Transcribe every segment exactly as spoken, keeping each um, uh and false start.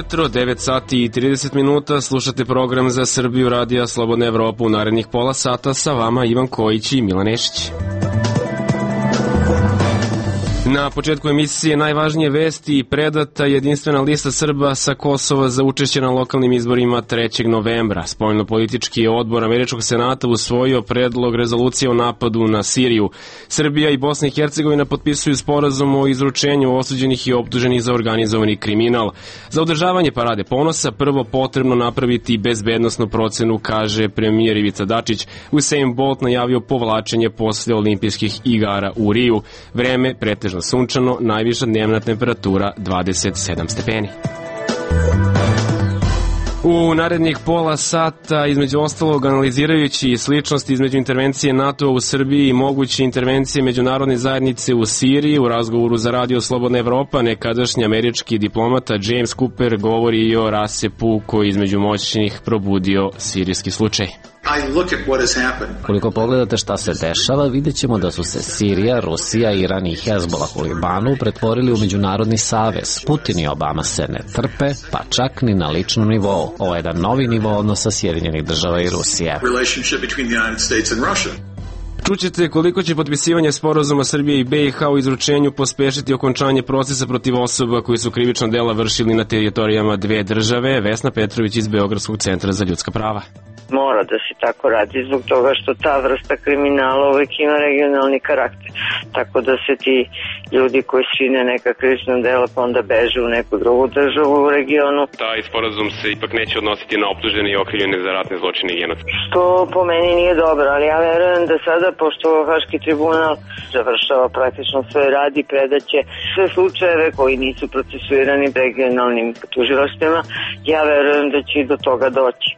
ujutro, devet sati i trideset minuta, slušate program za Srbiju Radija Slobodna Evropa. U narednih pola sata sa vama Ivan Kojić i Milan Nešić. Na početku emisije najvažnije vesti i predata jedinstvena lista Srba sa Kosova za učešće na lokalnim izborima trećeg novembra. Spoljnopolitički odbor Američkog senata usvojio predlog rezolucije o napadu na Siriju. Srbija i Bosna i Hercegovina potpisuju sporazum o izručenju osuđenih i optuženih za organizovani kriminal. Za održavanje Parade ponosa prvo potrebno napraviti bezbednosnu procenu, kaže premijer Ivica Dačić. Usain Bolt najavio povlačenje posle olimpijskih igara u Riju. Vreme pretežno sunčano, najviša dnevna temperatura dvadeset sedam stepeni. U narednih pola sata, između ostalog, analizirajući sličnosti između intervencije NATO u Srbiji i moguće intervencije međunarodne zajednice u Siriji, u razgovoru za Radio Slobodna Evropa, nekadašnji američki diplomata James Cooper govori i o rasepu koji između moćnih probudio sirijski slučaj. Koliko pogledate šta se dešava, vidjet ćemo da su se Sirija, Rusija, Iran i Hezbolah u Libanu pretvorili u međunarodni savez. Putin i Obama se ne trpe, pa čak ni na ličnom nivou. Ovo je jedan novi nivo odnosa Sjedinjenih država i Rusije. Čućete koliko će potpisivanje sporazuma Srbije i be i ha u izručenju pospešiti okončanje procesa protiv osoba koji su krivična dela vršili na teritorijama dve države. Vesna Petrović iz Beogradskog centra za ljudska prava. Mora da se tako radi zbog toga što ta vrsta kriminala uvek ima regionalni karakter. Tako da se ti ljudi koji čine neka krivična dela pa onda beže u neku drugu državu u regionu. Taj sporazum se ipak neće odnositi na optužene i okrivljene za ratne zločine i genocid. Što po meni nije dobro, ali ja verujem da sada, pošto Haški tribunal završava praktično svoj rad i predaće sve slučajeve koji nisu procesuirani regionalnim tužilaštvima, ja verujem da će i do toga doći.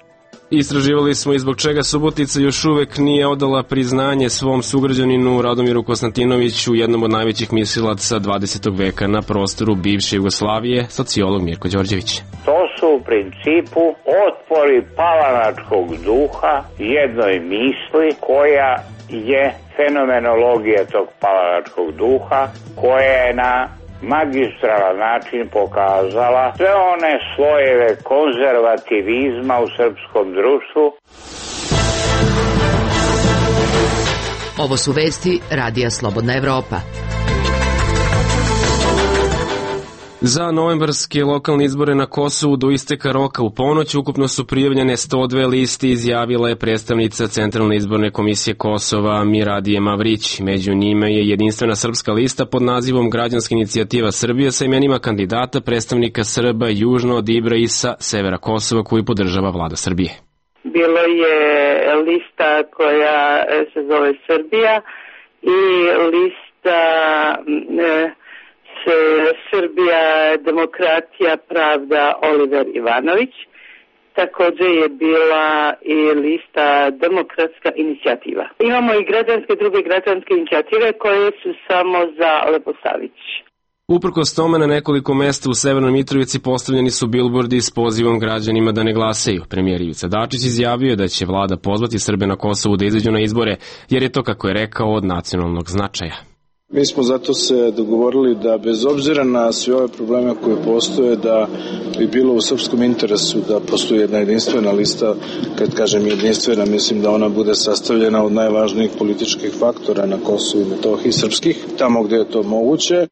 Istraživali smo i zbog čega Subotica još uvek nije odala priznanje svom sugrađaninu Radomiru Konstantinoviću, jednom od najvećih mislilaca dvadesetog veka na prostoru bivše Jugoslavije, sociolog Mirko Đorđević. To su u principu otpori palanačkog duha jednoj misli koja je fenomenologija tog palanačkog duha, koja je na magistralan način pokazala sve one slojeve konzervativizma u srpskom društvu. Ovo su vesti Radija Slobodna Evropa. Za novembarske lokalne izbore na Kosovu do isteka roka u ponoć ukupno su prijavljene sto dve liste, izjavila je predstavnica Centralne izborne komisije Kosova Miradije Mavrić. Među njima je jedinstvena srpska lista pod nazivom Građanska inicijativa Srbije sa imenima kandidata predstavnika Srba južno od Ibra i sa severa Kosova koju podržava vlada Srbije. Bilo je lista koja se zove Srbija i lista E, Srbija, demokratija, pravda, Oliver Ivanović. Također je bila i lista demokratska inicijativa. Imamo i građanske, druge građanske inicijative koje su samo za Leposavić. Uprkos tome, na nekoliko mesta u Severnoj Mitrovici postavljeni su bilbordi s pozivom građanima da ne glasaju. Premijer Ivica Dačić izjavio da će vlada pozvati Srbe na Kosovu da izađu na izbore, jer je to, kako je rekao, od nacionalnog značaja. Mi smo zato se dogovorili da bez obzira na sve ove probleme koje postoje, da bi bilo u srpskom interesu da postoji jedna jedinstvena lista. Kad kažem jedinstvena, mislim da ona bude sastavljena od najvažnijih političkih faktora na Kosovu i Metohiji srpskih, tamo gde je to moguće.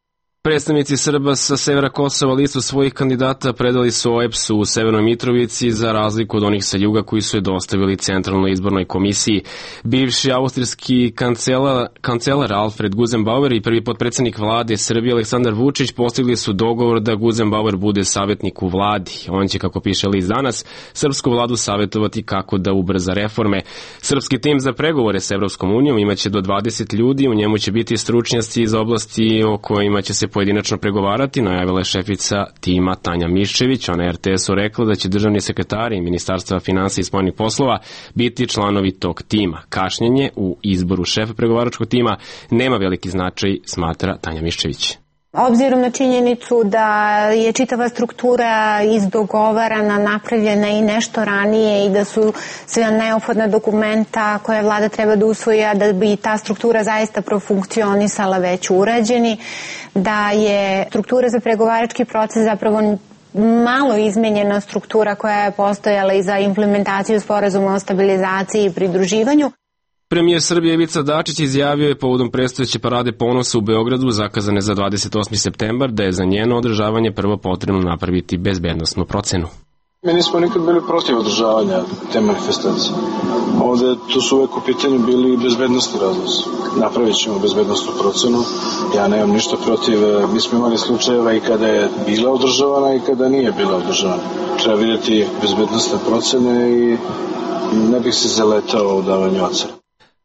Predstavnici Srba sa severa Kosova listu svojih kandidata predali su o e pe es-u u Severnoj Mitrovici, za razliku od onih sa juga koji su je dostavili Centralnoj izbornoj komisiji. Bivši austrijski kancelar, kancelar Alfred Guzenbauer i prvi potpredsednik vlade Srbije Aleksandar Vučić postigli su dogovor da Guzenbauer bude savjetnik u vladi. On će, kako piše list Danas, srpsku vladu savjetovati kako da ubrza reforme. Srpski tim za pregovore s Evropskom unijom imaće do dvadeset ljudi, u njemu će biti stručnjaci iz oblasti o kojima će se pojedinačno pregovarati, najavila je šefica tima Tanja Miščević. Ona je er te es-u rekla da će državni sekretari Ministarstva finansija i spoljnih poslova biti članovi tog tima. Kašnjenje u izboru šefa pregovaračkog tima nema veliki značaj, smatra Tanja Miščević. Obzirom na činjenicu da je čitava struktura izdogovarana, napravljena i nešto ranije i da su sve neophodna dokumenta koje vlada treba da usvoji, da bi ta struktura zaista profunkcionisala već urađeni, da je struktura za pregovarački proces zapravo malo izmenjena struktura koja je postojala i za implementaciju sporazuma o stabilizaciji i pridruživanju. Premijer Srbije Ivica Dačić izjavio je povodom predstojeće parade ponosa u Beogradu, zakazane za dvadeset osmi septembar, da je za njeno održavanje prvo potrebno napraviti bezbednosnu procenu. Mi nismo nikad bili protiv održavanja te manifestacije. Ovde tu su uvek u pitanju bili bezbednostni razlozi. Napravit ćemo bezbednostnu procenu. Ja nemam ništa protiv. Mi smo imali slučajeva i kada je bila održavana i kada nije bila održavana. Treba vidjeti bezbednostne procene i ne bih se zaletao u davanju ocena.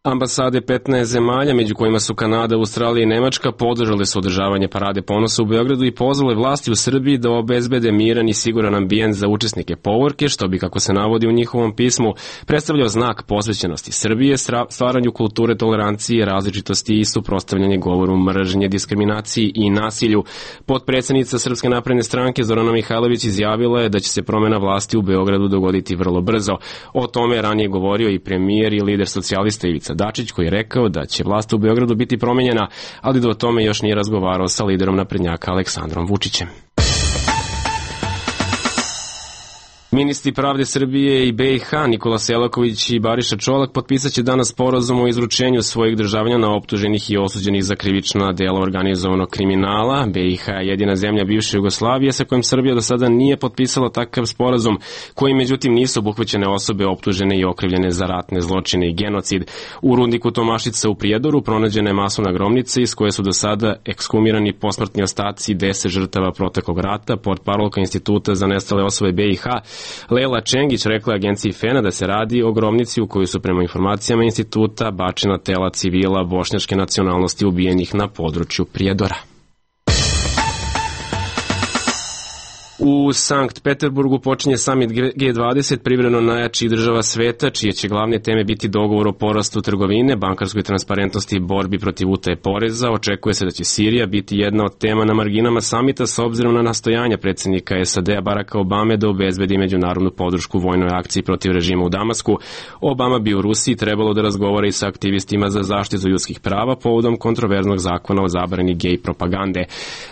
Ambasade petnaest zemalja, među kojima su Kanada, Australija i Nemačka, podržale su održavanje parade ponosa u Beogradu i pozvale vlasti u Srbiji da obezbede miran i siguran ambijent za učesnike povorke, što bi, kako se navodi u njihovom pismu, predstavljao znak posvećenosti Srbije, stvaranju kulture tolerancije, različitosti i suprotstavljanje govoru mržnje, diskriminaciji i nasilju. Potpredsednica Srpske napredne stranke Zorana Mihajlović izjavila je da će se promena vlasti u Beogradu dogoditi vrlo brzo. O tome je ranije govorio i premijer i lider socijalista Ivica Dačić, koji je rekao da će vlast u Beogradu biti promenjena, ali da o tome još nije razgovarao sa liderom naprednjaka Aleksandrom Vučićem. Ministri pravde Srbije i B i H Nikola Selaković i Bariša Čolak potpisat će danas sporazum o izručenju svojih državljana optuženih i osuđenih za krivična dela organizovanog kriminala. B i H je jedina zemlja bivše Jugoslavije sa kojim Srbija do sada nije potpisala takav sporazum, koji međutim nisu obuhvaćene osobe optužene i okrivljene za ratne zločine i genocid. U rudniku Tomašica u Prijedoru pronađena je masovna grobnica iz koje su do sada ekshumirani posmrtni ostaci deset žrtava proteklog rata. Portparolka Instituta za nestale osobe B i H Lela Čengić rekla agenciji Fena da se radi o grobnici u kojoj su prema informacijama instituta bačena tela civila bošnjačke nacionalnosti ubijenih na području Prijedora. U Sankt Peterburgu počinje samit G dvadeset privremeno najjačih država sveta, čije će glavne teme biti dogovor o porastu trgovine, bankarskoj transparentnosti i borbi protiv utaje poreza. Očekuje se da će Sirija biti jedna od tema na marginama samita s obzirom na nastojanja predsjednika S A D-a Baracka Obame da obezbedi međunarodnu podršku vojnoj akciji protiv režima u Damasku. Obama bi u Rusiji trebalo da razgovara i sa aktivistima za zaštitu ljudskih prava povodom kontroverznog zakona o zabrani gej propagande.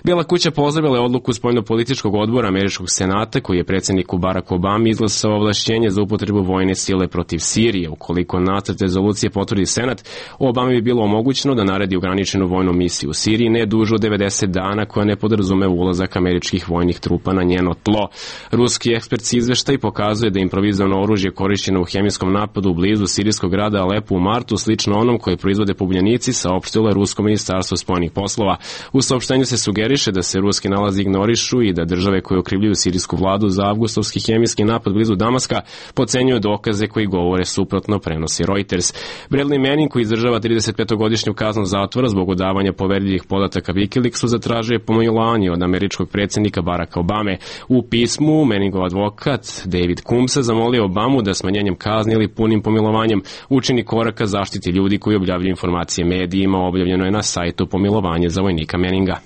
Bijela kuća pozdravila je odluku spoljnopolitičkog odbora Američkog senata, koji je predsjedniku Barack Obama izglasao ovlašćenje za upotrebu vojne sile protiv Sirije. Ukoliko nacrt rezolucije potvrdi Senat, Obama bi bilo omogućeno da naredi ograničenu vojnu misiju u Siriji ne duže od devedeset dana, koja ne podrazume ulazak američkih vojnih trupa na njeno tlo. Ruski ekspertski izveštaj pokazuje da improvizovano oružje korišćeno u hemijskom napadu u blizu sirijskog grada Alepu u martu, slično onom koje proizvode pobunjenici, saopštilo je Rusko ministarstvo spoljnih poslova. U saopštenju se sugeriše da se ruski nalazi ignorišu i da države koje okrivljuju sirijsku vladu za avgustovski hemijski napad blizu Damaska podcenjuju dokaze koji govore suprotno, prenosi Reuters. Bradley Manning, koji izdržava tridesetpetogodišnju kaznu zatvora zbog odavanja poverljivih podataka Wikileaksu, zatražio pomilovanje od američkog predsjednika Baracka Obame. U pismu Manningov advokat David Combs zamolio Obamu da smanjenjem kazni ili punim pomilovanjem učini koraka zaštiti ljudi koji objavljuju informacije medijima. Objavljeno je na sajtu pomilovanje za vojnika Manninga.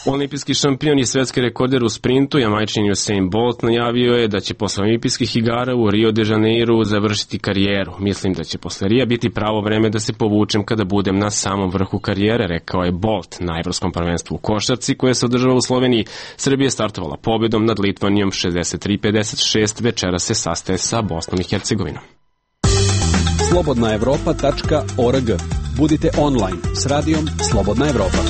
Olimpijski šampion i svetski rekorder u sprintu, Jamajčin Usain Bolt, najavio je da će posle olimpijskih igara u Rio de Janeiru završiti karijeru. Mislim da će posle Rija biti pravo vreme da se povučem kada budem na samom vrhu karijere, rekao je Bolt na Evropskom prvenstvu u košarci koje se održava u Sloveniji. Srbija je startovala pobedom nad Litvanijom šezdeset tri pedeset šest, večera se sastaje sa Bosnom i Hercegovinom. slobodna evropa tačka org. Budite online s radijom Slobodna Evropa.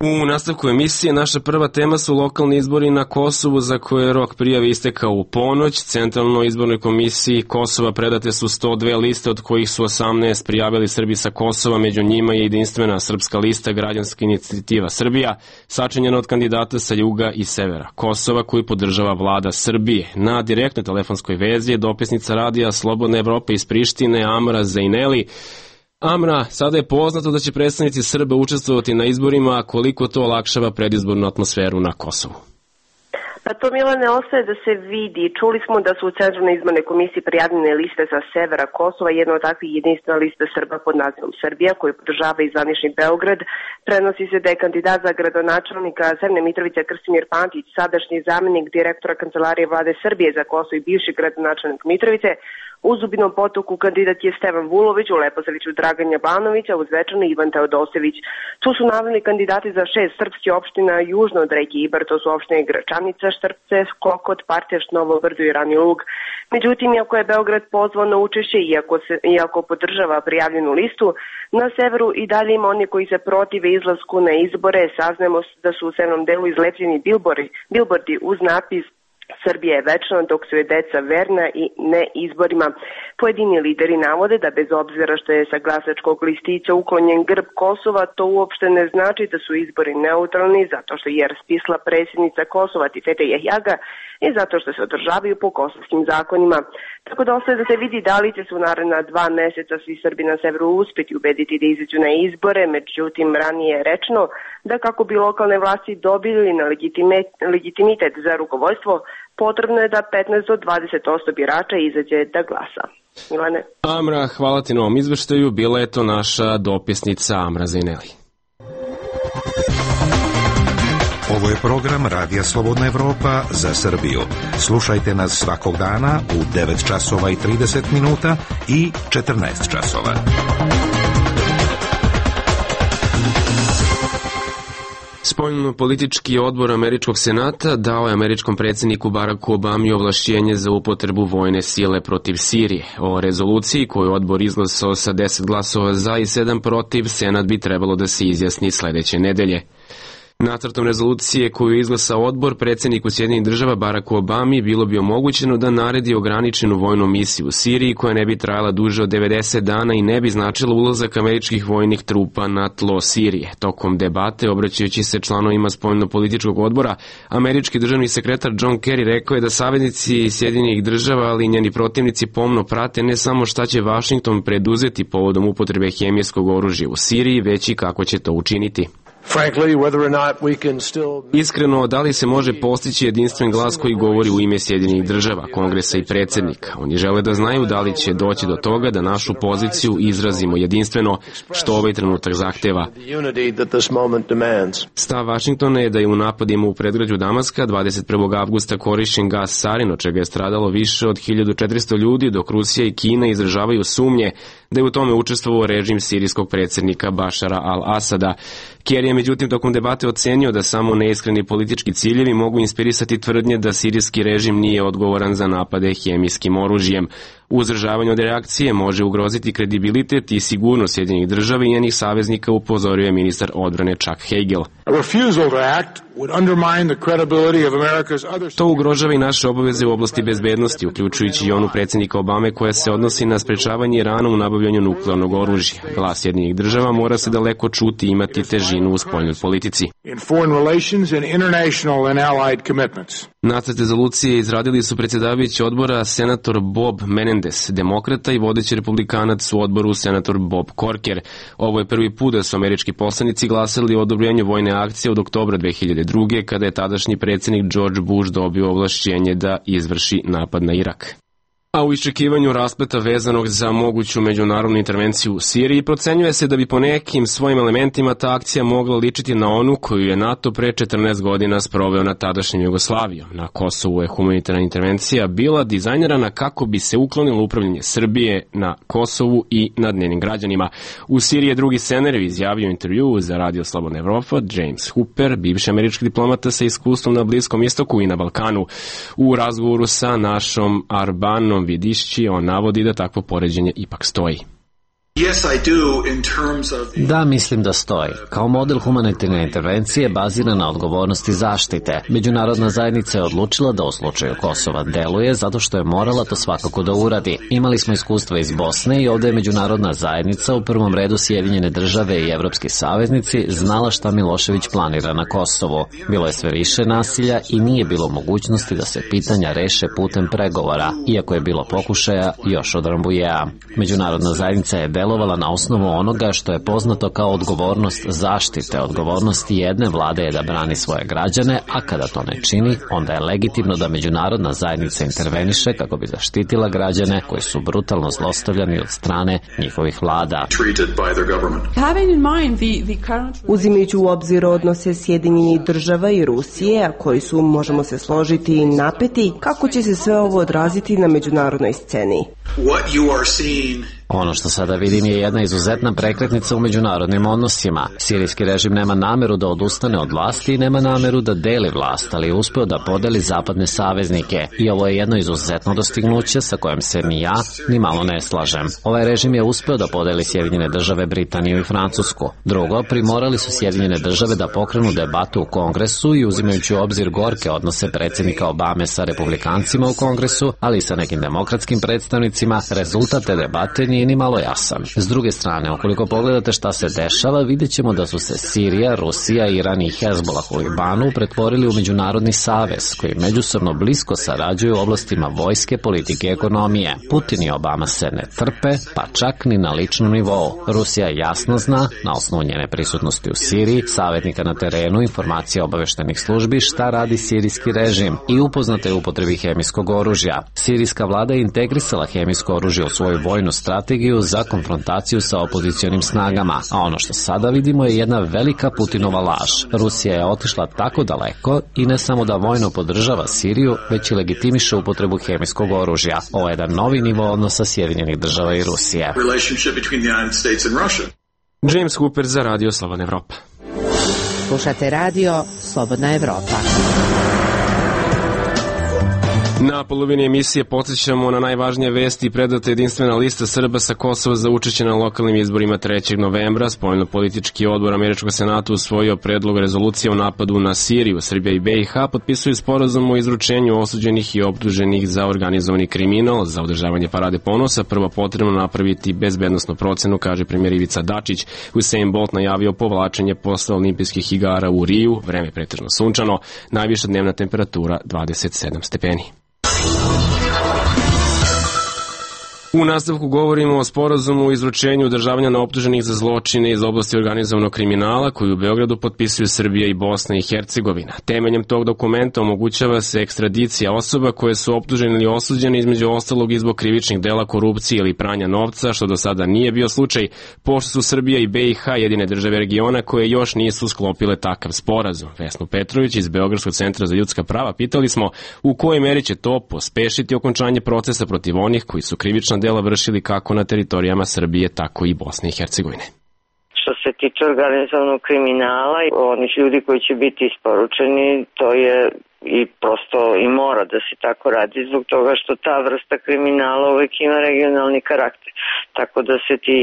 U nastavku emisije naša prva tema su lokalni izbori na Kosovu, za koje je rok prijave istekao u ponoć. Centralnoj izbornoj komisiji Kosova predate su sto dve liste, od kojih su osamnaest prijavili Srbi sa Kosova, među njima je jedinstvena srpska lista Građanska inicijativa Srbija, sačinjena od kandidata sa juga i severa Kosova, koju podržava vlada Srbije. Na direktnoj telefonskoj vezi je dopisnica radija Slobodna Evropa iz Prištine, Amra Zajneli. Amra, sada je poznato da će predstavnici Srba učestvovati na izborima, a koliko to olakšava predizbornu atmosferu na Kosovu? Pa to, Milane, ostaje da se vidi. Čuli smo da su u Centralnoj izbornoj komisiji prijavljene liste sa severa Kosova, jedna od takvih jedinstvena lista Srba pod nazivom Srbija, koju podržava i zvanični Beograd. Prenosi se da je kandidat za gradonačelnika Severne Mitrovice Krstimir Pantić, sadašnji zamenik direktora Kancelarije vlade Srbije za Kosovo i bivši gradonačelnik Mitrovice, U Zubinom Potoku kandidat je Stevan Vulović, u Leposaviću Dragan Jabanović, a u Zvečanu Ivan Teodosević. Tu su naveli kandidati za šest srpskih opština južno od reke Ibar, to su opštine Gračanica, Štrpce, Kokot, Parteš, Novo Brdo i Rani Lug. Međutim, iako je Beograd pozvao na učešće, iako, se, iako podržava prijavljenu listu, na severu i dalje ima oni koji se protive izlasku na izbore. Saznajemo da su u severnom delu izlepljeni bilbordi, bilbordi uz napis Srbija je večna, dok su je deca verna i ne izborima. Pojedini lideri navode da bez obzira što je sa glasačkog listića uklonjen grb Kosova, to uopšte ne znači da su izbori neutralni, zato što je raspisala predsjednica Kosova Tifete Jahjaga i zato što se održavaju po kosovskim zakonima. Tako da ostaje da se vidi da li će se u naredna dva meseca svi Srbi na severu uspeti ubediti da izađu na izbore, međutim ranije je rečeno da kako bi lokalne vlasti dobili na legitimitet za rukovodstvo, potrebno je da petnaest do dvadeset posto birača izađe da glasa. Milane. Amra, hvala ti na ovom izveštaju. Bila je to naša dopisnica Amra Zaineli. Ovo je program Radija Slobodna Evropa za Srbiju. Slušajte nas svakog dana u devet časova i trideset minuta i četrnaest časova. Spoljno-politički odbor Američkog senata dao je američkom predsjedniku Baracku Obami ovlašćenje za upotrebu vojne sile protiv Sirije. O rezoluciji koju odbor izglasao sa deset glasova za i sedam protiv, senat bi trebalo da se izjasni sledeće nedelje. Nacrtom rezolucije koju je izglasao odbor, predsjedniku Sjedinjenih država Baracku Obami bilo bi omogućeno da naredi ograničenu vojnu misiju u Siriji koja ne bi trajala duže od devedeset dana i ne bi značila ulazak američkih vojnih trupa na tlo Sirije. Tokom debate, obraćajući se članovima spoljno-političkog odbora, američki državni sekretar John Kerry rekao je da saveznici Sjedinjenih država, ali i njeni protivnici pomno prate ne samo šta će Vašington preduzeti povodom upotrebe hemijskog oružja u Siriji, već i kako će to učiniti. Iskreno, da li se može postići jedinstven glas koji govori u ime Sjedinjenih država, kongresa i predsjednika? Oni žele da znaju da li će doći do toga da našu poziciju izrazimo jedinstveno, što ovaj trenutak zahteva. Stav Vašingtona je da je u napadima u predgrađu Damaska dvadeset prvog avgusta korišćen gas sarin, od čega je stradalo više od hiljadu četiristo ljudi, dok Rusija i Kina izražavaju sumnje da je u tome učestvovao režim sirijskog predsjednika Bašara al-Asada. Kerry je međutim tokom debate ocenio da samo neiskreni politički ciljevi mogu inspirisati tvrdnje da sirijski režim nije odgovoran za napade hemijskim oružjem. Uzdržavanje od reakcije može ugroziti kredibilitet i sigurnost Sjedinjenih država i njenih saveznika, upozorio je ministar odbrane Chuck Hagel. To ugrožava i naše obaveze u oblasti bezbednosti, uključujući i onu predsjednika Obame koja se odnosi na sprečavanje Irana u nabavljanju nuklearnog oružja. Glas Sjedinjenih država mora se daleko čuti i imati težinu u spoljnoj politici. Nacrt rezolucije izradili su predsjedavajući odbora senator Bob Menendez, demokrata, i vodeći republikanac u odboru senator Bob Corker. Ovo je prvi put da su američki poslanici glasali o odobrenju vojne akcije od oktobra dve hiljade druge. kada je tadašnji predsjednik George Bush dobio ovlašćenje da izvrši napad na Irak. A u iščekivanju raspleta vezanog za moguću međunarodnu intervenciju u Siriji procenjuje se da bi po nekim svojim elementima ta akcija mogla ličiti na onu koju je NATO pre četrnaest godina sproveo na tadašnjem Jugoslavijom. Na Kosovu je humanitarna intervencija bila dizajnirana kako bi se uklonilo upravljanje Srbije na Kosovu i nad njenim građanima. U Siriji je drugi scenario izjavio intervju za Radio Slobodna Evropa James Hooper, bivši američki diplomata sa iskustvom na Bliskom istoku i na Balkanu. U razgovoru sa našom Arbanom Vidišći, on navodi da takvo poređenje ipak stoji. Da, mislim da stoji. Kao model humanitarne intervencije bazira na odgovornosti zaštite. Međunarodna zajednica je odlučila da u slučaju Kosova deluje zato što je morala to svakako da uradi. Imali smo iskustva iz Bosne i ovde je međunarodna zajednica, u prvom redu Sjedinjene države i evropski saveznici, znala šta Milošević planira na Kosovu. Bilo je sve više nasilja i nije bilo mogućnosti da se pitanja reše putem pregovora, iako je bilo pokušaja još od Rambujea. Međunarodna zajednica je delovala delovala na osnovu onoga što je poznato kao odgovornost zaštite. Odgovornost jedne vlade je da brani svoje građane, a kada to ne čini, onda je legitimno da međunarodna zajednica interveniše kako bi zaštitila građane koji su brutalno zlostavljani od strane njihovih vlada. Uzimajući u obzir odnose Sjedinjenih država i Rusije, a koji su, možemo se složiti, napeti, kako će se sve ovo odraziti na međunarodnoj sceni? Ono što sada vidim je jedna izuzetna prekretnica u međunarodnim odnosima. Sirijski režim nema nameru da odustane od vlasti i nema nameru da deli vlast, ali je uspeo da podeli zapadne saveznike. I ovo je jedno izuzetno dostignuće sa kojim se ni ja ni malo ne slažem. Ovaj režim je uspeo da podeli Sjedinjene države, Britaniju i Francusku. Drugo, primorali su Sjedinjene države da pokrenu debatu u Kongresu i uzimajući u obzir gorke odnose predsjednika Obame sa republikancima u Kongresu, ali i sa nekim demokratskim predstavnicima, rezultat te debate nije ni malo jasan. S druge strane, ukoliko pogledate šta se dešava, vidjet ćemo da su se Sirija, Rusija, Iran i Hezbolah u Libanu pretvorili u međunarodni savez, koji međusobno blisko sarađuju u oblastima vojske, politike i ekonomije. Putin i Obama se ne trpe, pa čak ni na ličnom nivou. Rusija jasno zna, na osnovu njene prisutnosti u Siriji, savjetnika na terenu, informacija obaveštenih službi, šta radi sirijski režim i upoznata je upotrebi hemijskog oružja. Sirijska vlada je integrisala hemijsko oružje u svoju vojnu strategiju za konfrontaciju sa opozicionim snagama, a ono što sada vidimo je jedna velika Putinova laž. Rusija je otišla tako daleko i ne samo da vojno podržava Siriju, već i legitimiše upotrebu hemijskog oružja. Ovo je jedan novi nivo odnosa Sjedinjenih država i Rusije. James Hooper za Radio Slobodna Evropa. Slušate Radio Slobodna Evropa. Na polovini emisije podsjećamo na najvažnije vesti. Predata jedinstvena lista Srba sa Kosova za učešće na lokalnim izborima trećeg novembra. Spoljno-politički odbor Američkog senata usvojio predlog rezolucije o napadu na Siriju. Srbija i B i H potpisuju sporazum o izručenju osuđenih i optuženih za organizovani kriminal. Za održavanje parade ponosa prvo potrebno napraviti bezbednosnu procenu, kaže premijer Ivica Dačić. Usain Bolt najavio povlačenje posle olimpijskih igara u Riju. Vreme pretežno sunčano, najviša dnevna temperatura dvadeset sedam stepeni. U nastavku govorimo o sporazumu o izručenju udržavanja na optuženih za zločine iz oblasti organizovanog kriminala koji u Beogradu potpisuju Srbija i Bosna i Hercegovina. Temeljem tog dokumenta omogućava se ekstradicija osoba koje su optužene ili osuđene između ostalog i zbog krivičnih dela korupcije ili pranja novca, što do sada nije bio slučaj, pošto su Srbija i B i H jedine države regiona koje još nisu sklopile takav sporazum. Vesnu Petrović iz Beogradskog centra za ljudska prava pitali smo u kojoj meri će to pospešiti okončanje procesa protiv onih koji su krivična dela vršili kako na teritorijama Srbije, tako i Bosne i Hercegovine. Što se tiče organizovanog kriminala, onih ljudi koji će biti isporučeni, to je i prosto i mora da se tako radi zbog toga što ta vrsta kriminala uvek ima regionalni karakter. Tako da se ti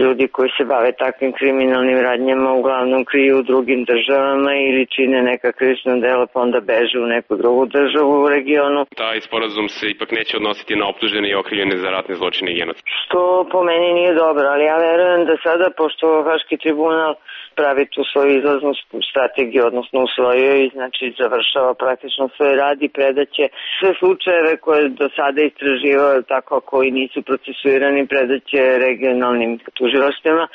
ljudi koji se bave takvim kriminalnim radnjama uglavnom kriju u drugim državama ili čine neka krivična dela pa onda beže u neku drugu državu u regionu. Taj sporazum se ipak neće odnositi na optužene i okrivljene za ratne zločine i genocid. Što po meni nije dobro, ali ja verujem da sada, pošto Haški tribunal pravi tu svoju izlaznu strategiju, odnosno usvojio i znači završava praktično svoj rad i predaće sve slučajeve koje do sada istraživao tako koji nisu procesuirani predaće regionalnim tužilaštvima.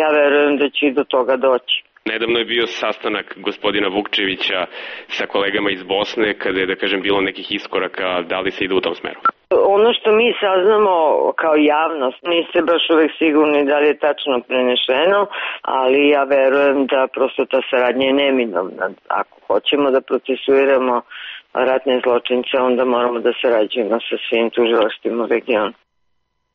Ja verujem da će do toga doći. Nedavno je bio sastanak gospodina Vukčevića sa kolegama iz Bosne kada je, da kažem, bilo nekih iskoraka. Da li se ide u tom smeru? Ono što mi saznamo kao javnost, niste baš uvek sigurni da li je tačno prenešeno, ali ja verujem da prosto ta saradnja je neminovna. Ako hoćemo da procesuiramo ratne zločince, onda moramo da sarađujemo sa svim tužilaštvima u regionu.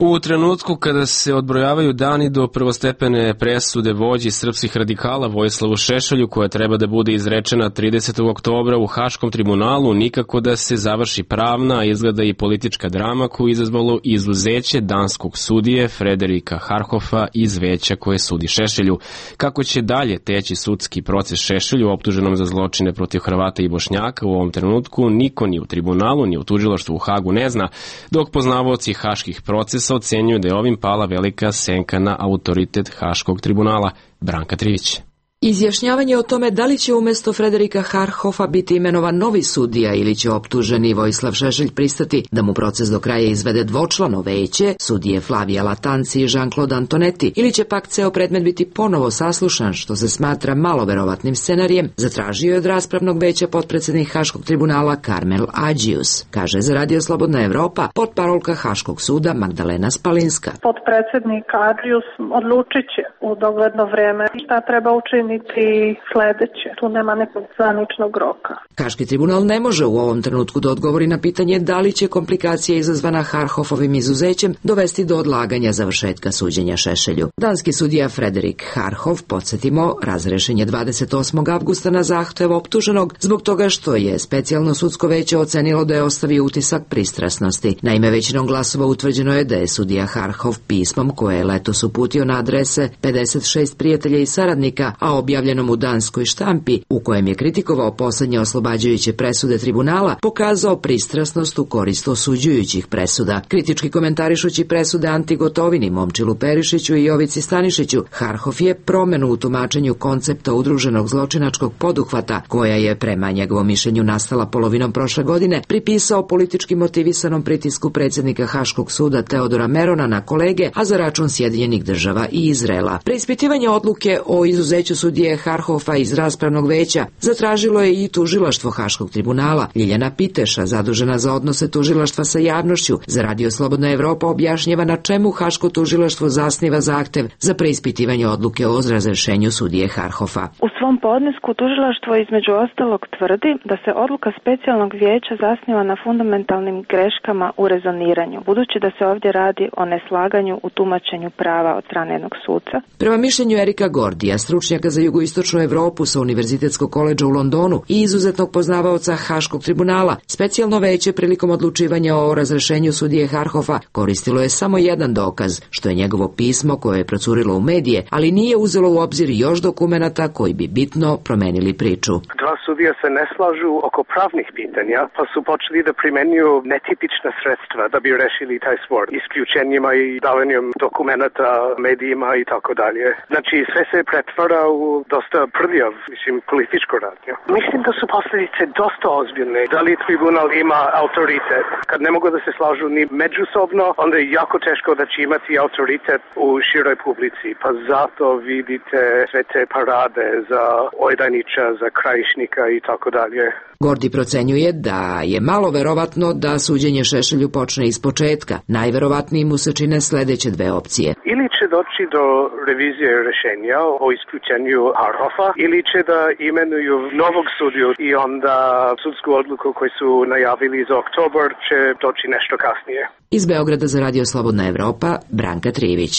U trenutku kada se odbrojavaju dani do prvostepene presude vođi srpskih radikala Vojislavu Šešelju, koja treba da bude izrečena tridesetog oktobra u Haškom tribunalu, nikako da se završi pravna, a izgleda i politička drama koju izazvalo izuzeće danskog sudije Frederika Harhofa iz veća koje sudi Šešelju. Kako će dalje teći sudski proces Šešelju, optuženom za zločine protiv Hrvata i Bošnjaka, u ovom trenutku niko ni u tribunalu, ni u tužilaštvu u Hagu ne zna, dok poznavaoci haških procesa ocenjuju da je ovim pala velika senka na autoritet Haškog tribunala. Branka Trivić. Izjašnjavanje o tome da li će umjesto Frederika Harhofa biti imenovan novi sudija ili će optuženi Vojislav Šešelj pristati da mu proces do kraja izvede dvočlano veće, sudije Flavija Latanci i Jean-Claude Antonetti, ili će pak ceo predmet biti ponovo saslušan, što se smatra malo verovatnim scenarijem, zatražio je od raspravnog veća potpredsednik Haškog tribunala Karmel Ađius. Kaže za Radio Slobodna Evropa potparolka Haškog suda Magdalena Spalinska. Potpredsednik Ađius odlučit će u dogledno vreme šta treba učiniti niti sledeće. Tu nema nekog zvaničnog roka. Haški tribunal ne može u ovom trenutku da odgovori na pitanje da li će komplikacija izazvana Harhofovim izuzećem dovesti do odlaganja završetka suđenja Šešelju. Danski sudija Frederik Harhof, podsjetimo, razrešen je dvadeset osmog avgusta na zahtev optuženog zbog toga što je specijalno sudsko veće ocenilo da je ostavio utisak pristrasnosti. Naime, većinom glasova utvrđeno je da je sudija Harhov pismom koje je letos uputio na adrese pedeset šest prijatelja i saradnika, a objavljenom u danskoj štampi, u kojem je kritikovao poslednje oslobađajuće presude tribunala, pokazao pristrasnost u korist osuđujućih presuda. Kritički komentarišući presude Anti Gotovini, Momčilu Perišiću i Jovici Stanišiću, Harhof je promenu u tumačenju koncepta udruženog zločinačkog poduhvata, koja je prema njegovom mišljenju nastala polovinom prošle godine, pripisao politički motivisanom pritisku predsjednika Haškog suda Teodora Merona na kolege, a za račun Sjedinjenih država i Izraela. Preispitivanje odluke o izuzeću sudije Harhofa iz raspravnog veća zatražilo je i tužilaštvo Haškog tribunala. Ljiljana Piteša, zadužena za odnose tužilaštva sa javnošću, za Radio Slobodna Evropa objašnjava na čemu Haško tužilaštvo zasniva zahtev za preispitivanje odluke o razrešenju sudije Harhofa. U svom podnesku tužilaštvo između ostalog tvrdi da se odluka specijalnog vijeća zasniva na fundamentalnim greškama u rezoniranju, budući da se ovdje radi o neslaganju u tumačenju prava od strane jednog suca. Prema mišljenju Erika Gordija, stručnjaka za jugoistočnu Evropu sa Univerzitetskog koledža u Londonu i izuzetnog poznavaoca Haškog tribunala, specijalno veće prilikom odlučivanja o razrešenju sudije Harhofa koristilo je samo jedan dokaz, što je njegovo pismo koje je procurilo u medije, ali nije uzelo u obzir još dokumenata koji bi bitno promenili priču. Dva sudija se ne slažu oko pravnih pitanja, pa su počeli da primenjuju netipična sredstva da bi rešili taj spor, isključenjima i davanjem dokumenata medijima i tako dalje. Znači, sve se pretvara u dosta prljav, mislim, političko radnje. Mislim da su posljedice dosta ozbiljne. Da li tribunal ima autoritet? Kad ne mogu da se slažu ni međusobno, onda je jako teško da će imati autoritet u široj publici. Pa zato vidite sve te parade za Ojdanića, za Krajišnika i tako dalje. Gordi procenjuje da je malo verovatno da suđenje Šešelju počne iz početka. Najverovatniji mu se čine sledeće dve opcije. Ili će doći do revizije rešenja o isključenju Harhofa, ili će da imenuju novog sudiju i onda sudsku odluku koju su najavili za oktobar će doći nešto kasnije. Iz Beograda za Radio Slobodna Evropa, Branka Trivić.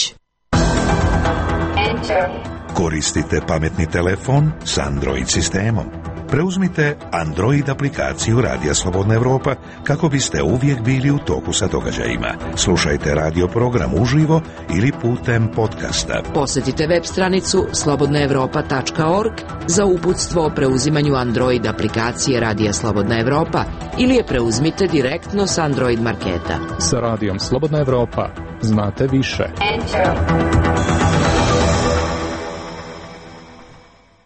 Koristite pametni telefon s Android sistemom. Preuzmite Android aplikaciju Radija Slobodna Evropa kako biste uvijek bili u toku sa događajima. Slušajte radio program uživo ili putem podcasta. Posjetite web stranicu slobodna evropa tačka org za uputstvo o preuzimanju Android aplikacije Radija Slobodna Evropa ili je preuzmite direktno s Android marketa. Sa Radijom Slobodna Evropa znate više.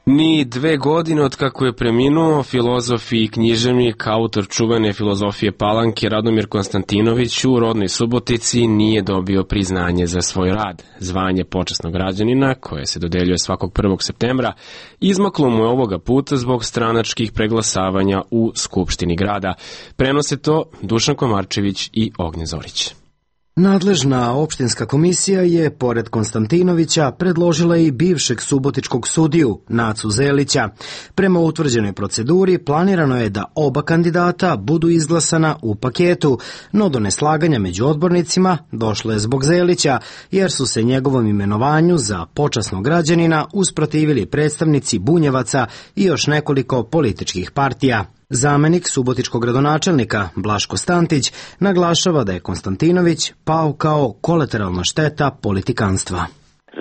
Ni dve godine od kako je preminuo filozof i književnik, autor čuvene filozofije Palanke Radomir Konstantinović u rodnoj Subotici nije dobio priznanje za svoj rad. Zvanje počasnog građanina, koje se dodeljuje svakog prvog septembra, izmaklo mu je ovoga puta zbog stranačkih preglasavanja u Skupštini grada. Prenose to Dušan Komarčević i Ognjen Zorić. Nadležna opštinska komisija je, pored Konstantinovića, predložila i bivšeg subotičkog sudiju, Nacu Zelića. Prema utvrđenoj proceduri, planirano je da oba kandidata budu izglasana u paketu, no do neslaganja među odbornicima došlo je zbog Zelića, jer su se njegovom imenovanju za počasnog građanina usprotivili predstavnici Bunjevaca i još nekoliko političkih partija. Zamenik subotičkog gradonačelnika Blaško Stantić naglašava da je Konstantinović pao kao kolateralna šteta politikanstva.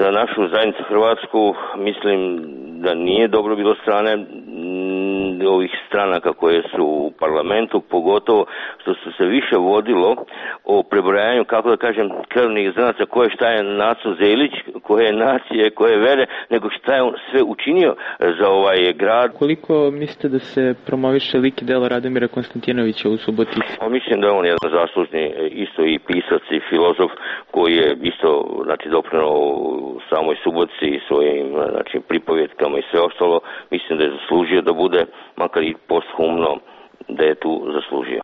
Za našu zajednicu Hrvatsku mislim da nije dobro bilo strane ovih stranaka koje su u parlamentu, pogotovo što su se više vodilo o prebrojanju, kako da kažem, krvnih zrnaca koje šta je Naco Zelić, koje nacije, koje vere, nego šta je on sve učinio za ovaj grad. Koliko mislite da se promoviše lik i delo Radomira Konstantinovića u Subotici? Pa mislim da je on jedan zaslužni isto i pisac i filozof koji je isto znači doprineo samoj Subotici i svojim znači pripovjetkama i sve ostalo. Mislim da je zaslužio da bude makar i posthumno da je tu zaslužio.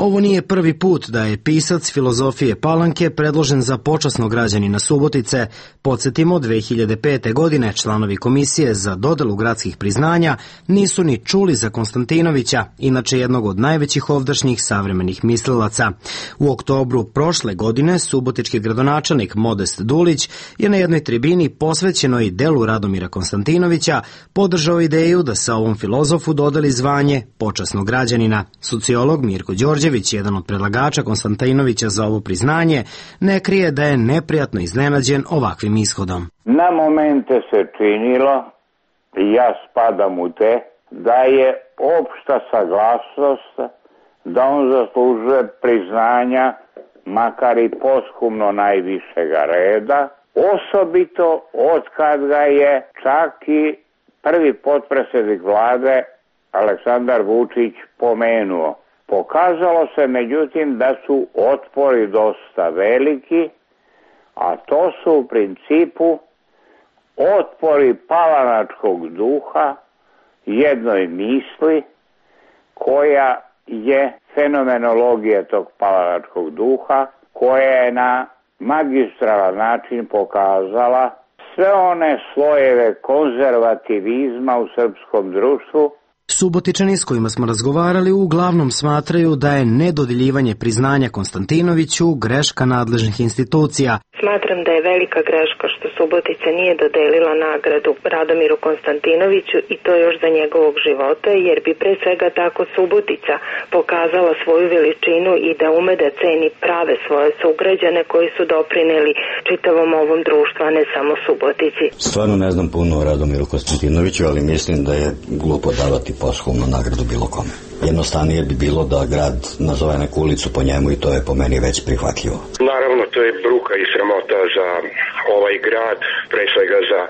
Ovo nije prvi put da je pisac filozofije Palanke predložen za počasnog građanina Subotice. Podsjetimo, dve hiljade pete. godine članovi komisije za dodelu gradskih priznanja nisu ni čuli za Konstantinovića, inače jednog od najvećih ovdašnjih savremenih mislilaca. U oktobru prošle godine subotički gradonačelnik Modest Dulić je na jednoj tribini posvećenoj delu Radomira Konstantinovića podržao ideju da se ovom filozofu dodeli zvanje počasnog građanina. Sociolog Mirko Đorđević, jedan od predlagača Konstantinovića za ovo priznanje, ne krije da je neprijatno iznenađen ovakvim ishodom. Na momente se činilo, i ja spadam u te, da je opšta saglasnost da on zaslužuje priznanja, makar i posthumno najvišega reda, osobito od kad ga je čak i prvi potpredsjednik vlade Aleksandar Vučić pomenuo. Pokazalo se međutim da su otpori dosta veliki, a to su u principu otpori palanačkog duha, jednoj misli koja je fenomenologija tog palanačkog duha, koja je na magistralan način pokazala sve one slojeve konzervativizma u srpskom društvu. Subotičani s kojima smo razgovarali uglavnom smatraju da je nedodeljivanje priznanja Konstantinoviću greška nadležnih institucija. Smatram da je velika greška što Subotica nije dodelila nagradu Radomiru Konstantinoviću i to još za njegovog života, jer bi pre svega tako Subotica pokazala svoju veličinu i da ume da ceni prave svoje sugrađane koji su doprineli čitavom ovom društvu, a ne samo Subotici. Stvarno ne znam puno o Radomiru Konstantinoviću, ali mislim da je glupo davati posthumnu nagradu bilo kome. Jednostavnije bi bilo da grad nazove neku ulicu po njemu i to je po meni već prihvatljivo. Naravno, to je bruka i sramota za ovaj grad, pre svega za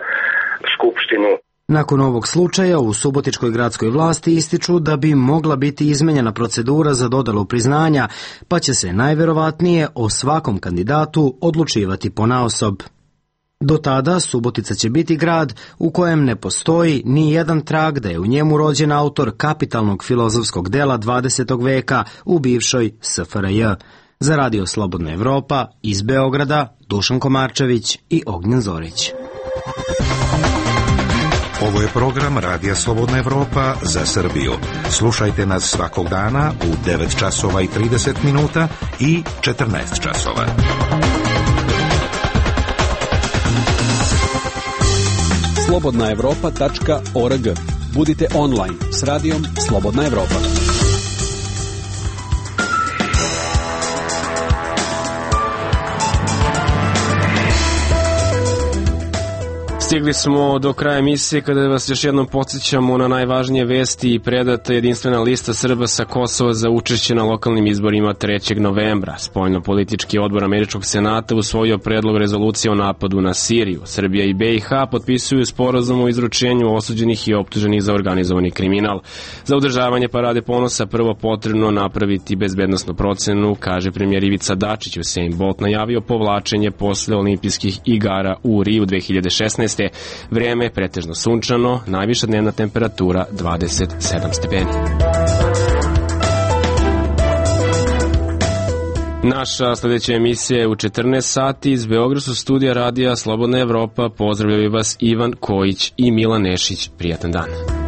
Skupštinu. Nakon ovog slučaja u subotičkoj gradskoj vlasti ističu da bi mogla biti izmenjena procedura za dodelu priznanja, pa će se najverovatnije o svakom kandidatu odlučivati ponaosob. Do tada Subotica će biti grad u kojem ne postoji ni jedan trag da je u njemu rođen autor kapitalnog filozofskog dela dvadesetog veka u bivšoj S F R J. Za Radio Slobodna Evropa iz Beograda Dušan Komarčević i Ognjen Zorić. Ovo je program Radija Slobodna Evropa za Srbiju. Slušajte nas svakog dana u devet časova i trideset minuta i četrnaest časova. slobodna evropa tačka org. Budite online s radijom Slobodna Evropa. Stigli smo do kraja emisije kada vas još jednom podsjećamo na najvažnije vesti i predata jedinstvena lista Srba sa Kosova za učešće na lokalnim izborima trećeg novembra. Spoljno-politički odbor Američkog senata usvojio predlog rezolucije o napadu na Siriju. Srbija i B i H potpisuju sporazum o izručenju osuđenih i optuženih za organizovani kriminal. Za održavanje Parade ponosa prvo potrebno napraviti bezbednosnu procenu, kaže premijer Ivica Dačić. Usain Bolt najavio povlačenje posle olimpijskih igara u Riju dve hiljade šesnaeste. Vrijeme je pretežno sunčano, najviša dnevna temperatura dvadeset sedam stepeni. Naša sljedeća emisija je u četrnaest sati iz Beogradskog studija Radija Slobodna Evropa. Pozdravljaju vas Ivan Kojić i Milan Nešić. Prijatan dan.